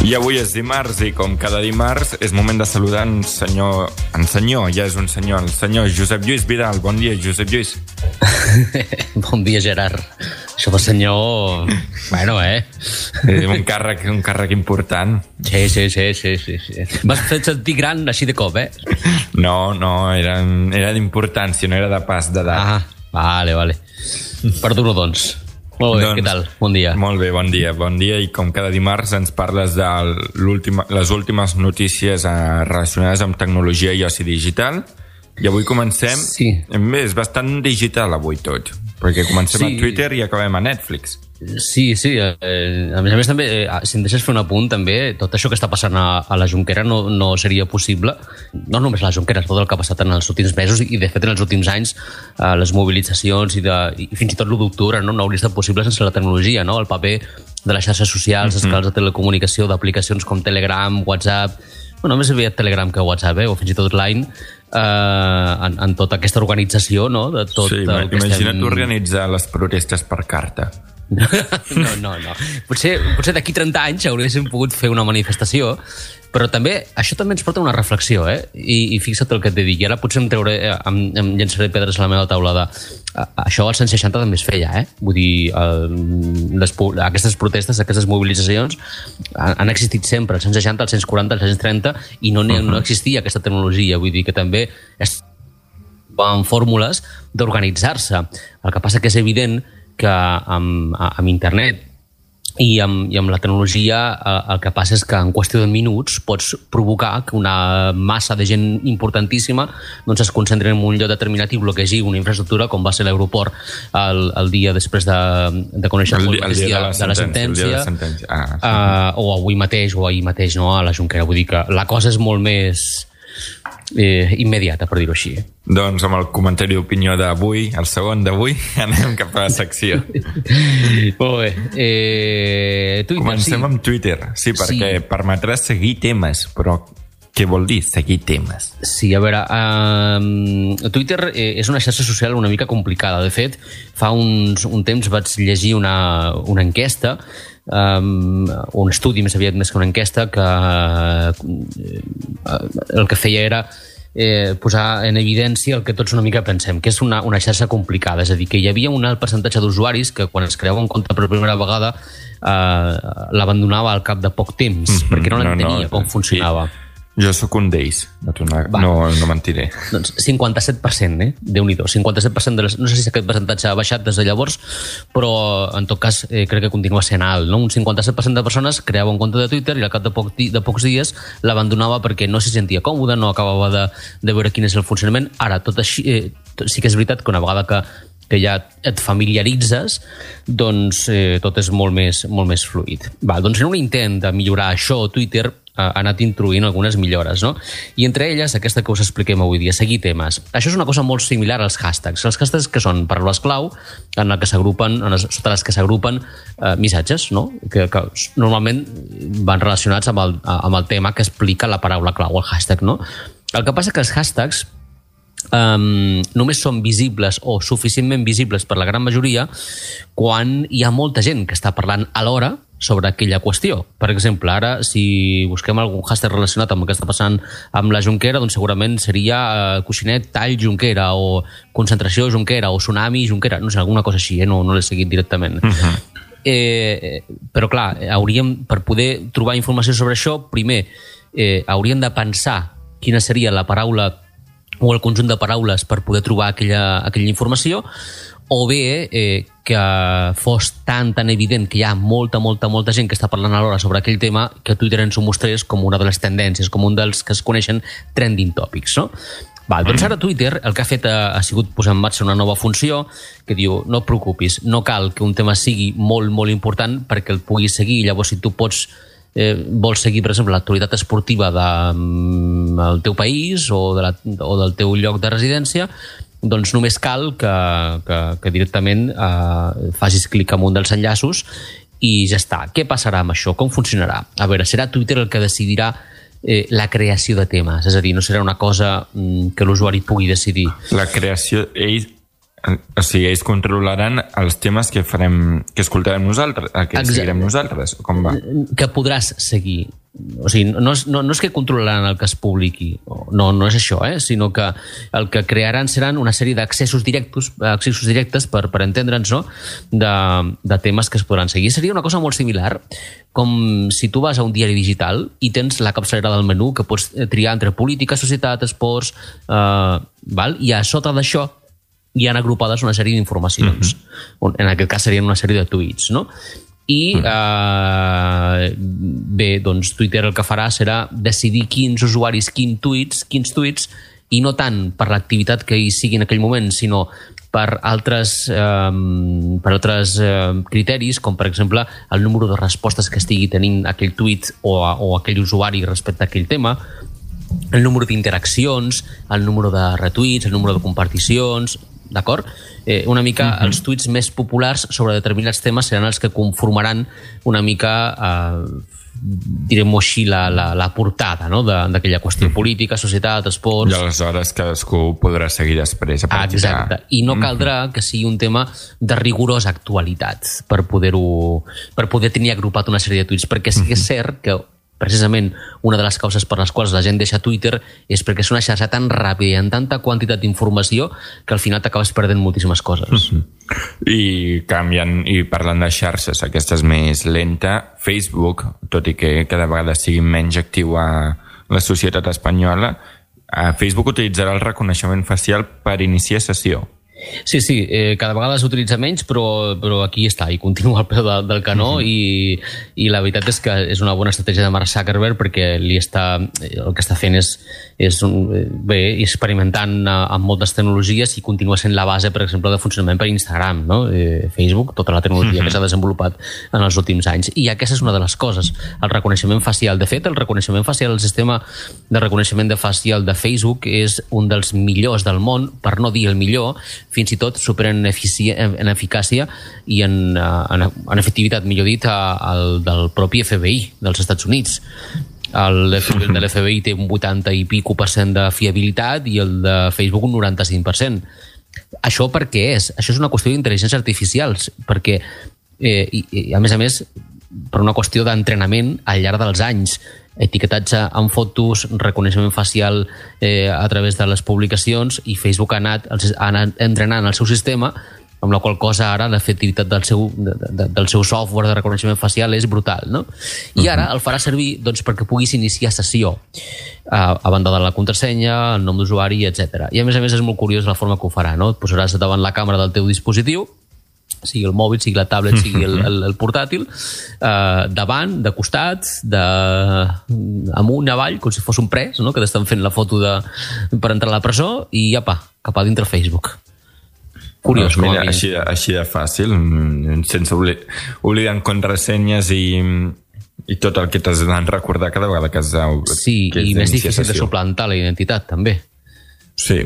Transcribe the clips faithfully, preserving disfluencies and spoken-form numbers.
I avui és dimarts i com cada dimarts és moment de saludar en senyor, en senyor, ja és un senyor, el senyor Josep Lluís Vidal. Bon dia, Josep Lluís. Bon dia, Gerard. Això per senyor... Bueno, eh? Un càrrec, un càrrec important. Sí, sí, sí, sí, sí, sí. M'has fet sentir gran així de cop, eh? No, no, era, era d'importància, no era de pas d'edat. Ah, vale, vale. Perdono, doncs. Molt bé, doncs, què tal? Bon dia. Molt bé, bon dia. Bon dia i com cada dimarts ens parles de les últimes notícies relacionades amb tecnologia i oci digital. I avui comencem... Sí. Bé, és bastant digital avui tot, perquè comencem sí. a Twitter i acabem a Netflix. Sí, sí. Eh, a més a més, també, eh, si em deixes fer un apunt, també, tot això que està passant a, a la Jonquera no, no seria possible. No només a la Jonquera, tot el que ha passat en els últims mesos i, de fet, en els últims anys, eh, les mobilitzacions i, de, i fins i tot l'u d'octubre no, no hauria estat possible sense la tecnologia, no? El paper de les xarxes socials, els canals de telecomunicació, d'aplicacions com Telegram, WhatsApp... Bueno, només havia Telegram que WhatsApp, eh? O fins i tot Line, eh, en, en tota aquesta organització, no? De tot sí, el que imagina't estem... organitzar les protestes per carta. No, no, no. Potser, potser d'aquí trenta anys hauríem pogut fer una manifestació, però també, això també ens porta a una reflexió, eh? I, i fixa't el que et dic, i ara potser em, treuré, em, em llançaré pedres a la meva taula de... Això als anys seixanta també es feia, eh? Vull dir, el, les, aquestes protestes, aquestes mobilitzacions han, han existit sempre, als anys seixanta, als anys quaranta, als anys trenta, i no, uh-huh. no existia aquesta tecnologia. Vull dir que també es van fórmules d'organitzar-se. El que passa que és evident que amb, amb internet i amb, i amb la tecnologia el que passa és que en qüestió de minuts pots provocar que una massa de gent importantíssima doncs es concentri en un lloc determinat i bloquegi una infraestructura com va ser l'aeroport el, el dia després de, de conèixer el, el, el dia de la, de la sentència, de la sentència. Ah, sí. uh, o avui mateix o ahir mateix no, a la Jonquera. Vull dir que la cosa és molt més Eh, immediata, per dir-ho així. Doncs amb el comentari d'opinió d'avui, el segon d'avui, anem cap a la secció. Molt bé. Eh, Twitter, Comencem sí. amb Twitter, sí, perquè sí. permetrà seguir temes, però què vol dir seguir temes? Sí, a veure, uh, Twitter eh, és una xarxa social una mica complicada. De fet, fa uns, un temps vaig llegir una, una enquesta, um, un estudi més aviat més que una enquesta, que uh, el que feia era eh, posar en evidència el que tots una mica pensem, que és una, una xarxa complicada. És a dir, que hi havia un alt percentatge d'usuaris que quan es creava un compte per primera vegada eh, l'abandonava al cap de poc temps, mm-hmm, perquè no l'entenia no, no, com funcionava. Sí. Jo sóc un d'ells, no, no, no mentiré. Doncs cinquanta-set per cent, eh? Déu-n'hi-do. cinquanta-set per cent de les... No sé si aquest percentatge ha baixat des de llavors, però en tot cas eh, crec que continua sent alt, no? Un cinquanta-set per cent de persones creava un compte de Twitter i al cap de, poc, de pocs dies l'abandonava perquè no s'hi sentia còmode, no acabava de, de veure quin és el funcionament. Ara, tot així... Eh, tot, sí que és veritat que una vegada que que ja et familiaritzes, doncs eh, tot és molt més, molt més fluid. Va, doncs en un intent de millorar això, Twitter ha anat introduint algunes millores, no? I entre elles, aquesta que us expliquem avui dia, seguir temes. Això és una cosa molt similar als hashtags. Els hashtags que són paraules clau en les que s'agrupen, en les, sota les que s'agrupen eh, missatges, no? Que, que normalment van relacionats amb el, amb el tema que explica la paraula clau, el hashtag, no? El que passa que els hashtags Um, només són visibles o suficientment visibles per la gran majoria quan hi ha molta gent que està parlant alhora sobre aquella qüestió. Per exemple, ara, si busquem algun hashtag relacionat amb el que està passant amb la Jonquera, doncs segurament seria uh, coixinet tall Jonquera o concentració Jonquera o tsunami Jonquera, no sé, alguna cosa així, eh? no, no l'he seguit directament. Uh-huh. eh, però clar, hauríem, per poder trobar informació sobre això, primer eh, hauríem de pensar quina seria la paraula o el conjunt de paraules per poder trobar aquella, aquella informació, o bé eh, que fos tan, tan evident que hi ha molta, molta, molta gent que està parlant alhora sobre aquell tema que Twitter ens ho mostrés com una de les tendències, com un dels que es coneixen trending topics, no? Val, doncs ara Twitter el que ha fet ha, ha sigut posar en marxa una nova funció que diu, no et preocupis, no cal que un tema sigui molt, molt important perquè el puguis seguir. Llavors, si tu pots Eh, vols seguir, per exemple, l'actualitat esportiva del de, teu país o, de la, o del teu lloc de residència, doncs només cal que, que, que directament eh, facis clic en un dels enllaços i ja està. Què passarà amb això? Com funcionarà? A veure, serà Twitter el que decidirà eh, la creació de temes, és a dir, no serà una cosa mm, que l'usuari pugui decidir. La creació... Ell, O sigui, ells controlaran els temes que farem, que escoltarem nosaltres, que Exacte. seguirem nosaltres, com va? Que podràs seguir. O sigui, no és, no, no és que controlaran el que es publiqui, no, no és això, eh? Sinó que el que crearan seran una sèrie d'accessos directes, accessos directes per, per entendre'ns, no? de, de temes que es podran seguir. Seria una cosa molt similar, com si tu vas a un diari digital i tens la capçalera del menú que pots triar entre política, societat, esports, eh, val? I a sota d'això hi han agrupades una sèrie d'informacions. Uh-huh. En aquest cas serien una sèrie de tuits, no? I uh-huh. eh, bé, doncs Twitter el que farà serà decidir quins usuaris, quins tuits, quins tuits, i no tant per l'activitat que hi sigui en aquell moment, sinó per altres, eh, per altres eh, criteris, com per exemple el número de respostes que estigui tenint aquell tuit o, a, o aquell usuari respecte a aquell tema, el número d'interaccions, el número de retuits, el número de comparticions, d'acord? Eh, una mica uh-huh. els tuits més populars sobre determinats temes seran els que conformaran una mica, eh, direm-ho així, la, la, la portada, no? d'aquella qüestió uh-huh. política, societat, esports... I aleshores cadascú podrà seguir després a partir ah, exacte. I no caldrà uh-huh. que sigui un tema de rigorosa actualitat per poder-ho, per poder tenir agrupat una sèrie de tuits, perquè sí que és cert que precisament una de les causes per les quals la gent deixa Twitter és perquè és una xarxa tan ràpida i amb tanta quantitat d'informació que al final t'acabes perdent moltíssimes coses. Uh-huh. I canviant, i parlant de xarxes, aquesta és més lenta. Facebook, tot i que cada vegada sigui menys actiu a la societat espanyola, Facebook utilitzarà el reconeixement facial per iniciar sessió. Sí, sí, eh, cada vegada s'utilitza menys, però, però aquí està, i continua al peu de, del canó, uh-huh. i, i la veritat és que és una bona estratègia de Mark Zuckerberg perquè li està, el que està fent és, és un, bé, experimentant amb moltes tecnologies i continua sent la base, per exemple, de funcionament per Instagram, no? eh, Facebook, tota la tecnologia uh-huh. que s'ha desenvolupat en els últims anys. I aquesta és una de les coses, el reconeixement facial. De fet, el reconeixement facial, el sistema de reconeixement de facial de Facebook és un dels millors del món, per no dir el millor, fins i tot superen en, efici- en eficàcia i en, en, en efectivitat, millor dit, el del propi F B I dels Estats Units. El de l'F B I té un vuitanta i pico per cent de fiabilitat i el de Facebook un noranta-cinc per cent. Això per què és? Això és una qüestió d'intel·ligència artificial, perquè, eh, i, i, a més a més, per una qüestió d'entrenament al llarg dels anys, etiquetatge en fotos, reconeixement facial eh, a través de les publicacions, i Facebook ha anat, ha anat entrenant el seu sistema, amb la qual cosa ara l'efectivitat del seu, de, de, del seu software de reconeixement facial és brutal, no? I ara el farà servir doncs, perquè puguis iniciar sessió, a, a banda de la contrasenya, el nom d'usuari, etcètera. I a més a més és molt curiós la forma que ho farà, no? Et posaràs davant la càmera del teu dispositiu, sigui el mòbil, sigui la tablet, sigui el, el, el portàtil, eh, davant, de costat, de, amunt, avall, com si fos un pres, no? Que t'estan fent la foto de, per entrar a la presó, i apa, cap a dintre Facebook. Curiós, no, mira, així, així de fàcil, sense oblidar, oblidant contrasenyes i, i tot el que t'has de recordar cada vegada que has de... Sí, que i més difícil de suplantar la identitat, també. Sí.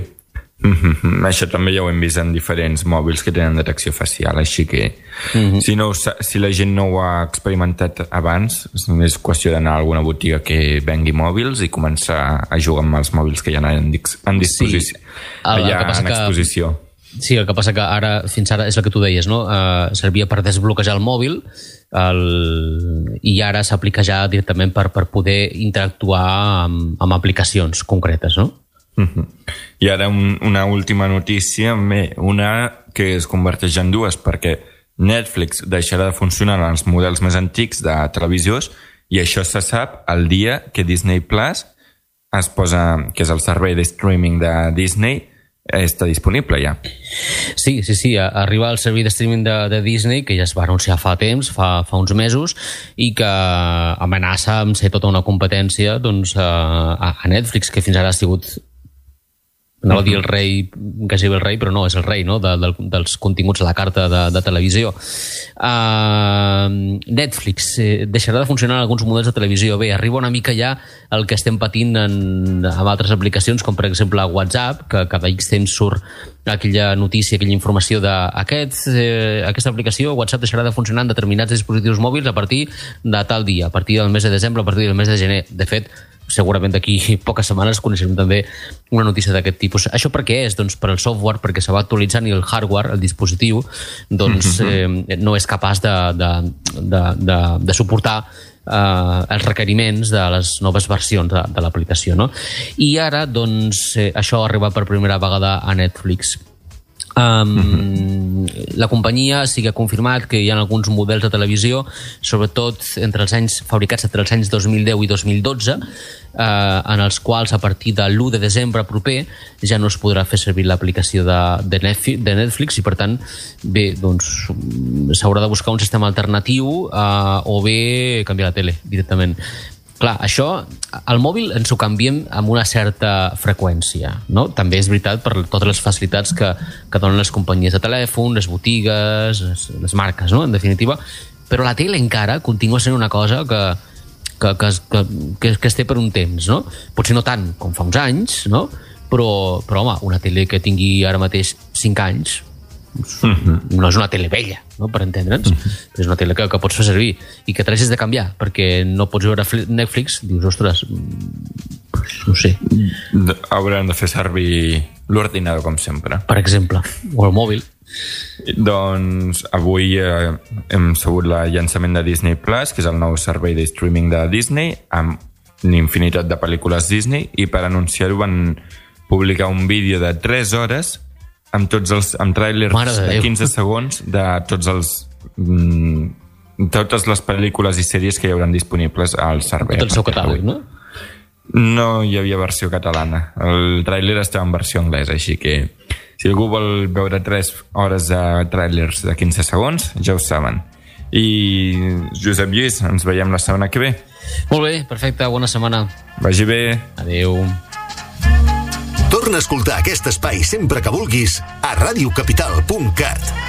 Mm-hmm. Això també ja ho hem vist en diferents mòbils que tenen detecció facial, així que mm-hmm. si, no, si la gent no ho ha experimentat abans, és qüestió d'anar a alguna botiga que vengui mòbils i començar a jugar amb els mòbils que hi ha en, en disposició, sí. allà en exposició. Que, sí, el que passa que ara, fins ara, és el que tu deies, no? Uh, servia per desbloquejar el mòbil, el, i ara s'aplica ja directament per, per poder interactuar amb, amb aplicacions concretes, no? Uh-huh. I ara un, una última notícia, bé, una que es converteix en dues, perquè Netflix deixarà de funcionar en els models més antics de televisors, i això se sap el dia que Disney Plus es posa, que és el servei de streaming de Disney, està disponible ja. Sí, sí, sí, arriba el servei de streaming de, de Disney, que ja es va anunciar fa temps, fa, fa uns mesos, i que amenaça amb ser tota una competència doncs, a, a Netflix, que fins ara ha sigut, anava a dir el rei, quasi el rei, però no, és el rei, no? de, de, dels continguts a la carta de, de televisió. Uh, Netflix eh, deixarà de funcionar en alguns models de televisió. Bé, arriba una mica ja el que estem patint en, en altres aplicacions, com per exemple WhatsApp, que cada X temps surt aquella notícia, aquella informació d'aquest, eh, aquesta aplicació, WhatsApp deixarà de funcionar en determinats dispositius mòbils a partir de tal dia, a partir del mes de desembre, a partir del mes de gener. De fet, segurament d'aquí poques setmanes coneixerem també una notícia d'aquest tipus. Això per què és? Doncs per el software, perquè se va actualitzant i el hardware, el dispositiu, doncs eh, no és capaç de, de, de, de, de suportar eh, els requeriments de les noves versions de, de l'aplicació, no? I ara, doncs, eh, això ha arribat per primera vegada a Netflix. Um, mm-hmm. La companyia sí que ha confirmat que hi ha alguns models de televisió, sobretot entre els anys fabricats entre els anys dos mil deu i dos mil dotze, eh, en els quals a partir de l'u de desembre proper ja no es podrà fer servir l'aplicació de, de, Netflix, de Netflix i per tant bé, doncs s'haurà de buscar un sistema alternatiu eh, o bé canviar la tele directament. Clar, això, al mòbil ens ho canviem amb una certa freqüència, no? També és veritat per totes les facilitats que, que donen les companyies de telèfon, les botigues, les, les marques, no? En definitiva. Però la tele encara continua sent una cosa que, que, que, que, que, que es té per un temps, no? Potser no tant com fa uns anys, no? Però, però home, una tele que tingui ara mateix cinc anys mm-hmm. no és una tele vella, no? Per entendre'ns, mm-hmm. és una tele que, que pots fer servir i que t'hagis de canviar perquè no pots veure Netflix, dius, ostres, no sé, haurem de fer servir l'ordinador com sempre, per exemple, o el mòbil. Doncs avui eh, hem sabut el llançament de Disney Plus, que és el nou servei de streaming de Disney amb una infinitat de pel·lícules Disney, i per anunciar-ho van publicar un vídeo de tres hores amb tots els amb tràilers de, de quinze segons de tots els mm, totes les pel·lícules i sèries que hi hauran disponibles al servei. Tot el seu catàleg, no? No hi havia versió catalana. El tràiler estava en versió anglesa, així que si algú vol veure tres hores de tràilers de quinze segons, ja ho saben. I Josep Lluís, ens veiem la setmana que ve. Molt bé, perfecte, bona setmana. Vagi bé. Adéu. Torna a escoltar aquest espai sempre que vulguis a ràdio capital punt cat.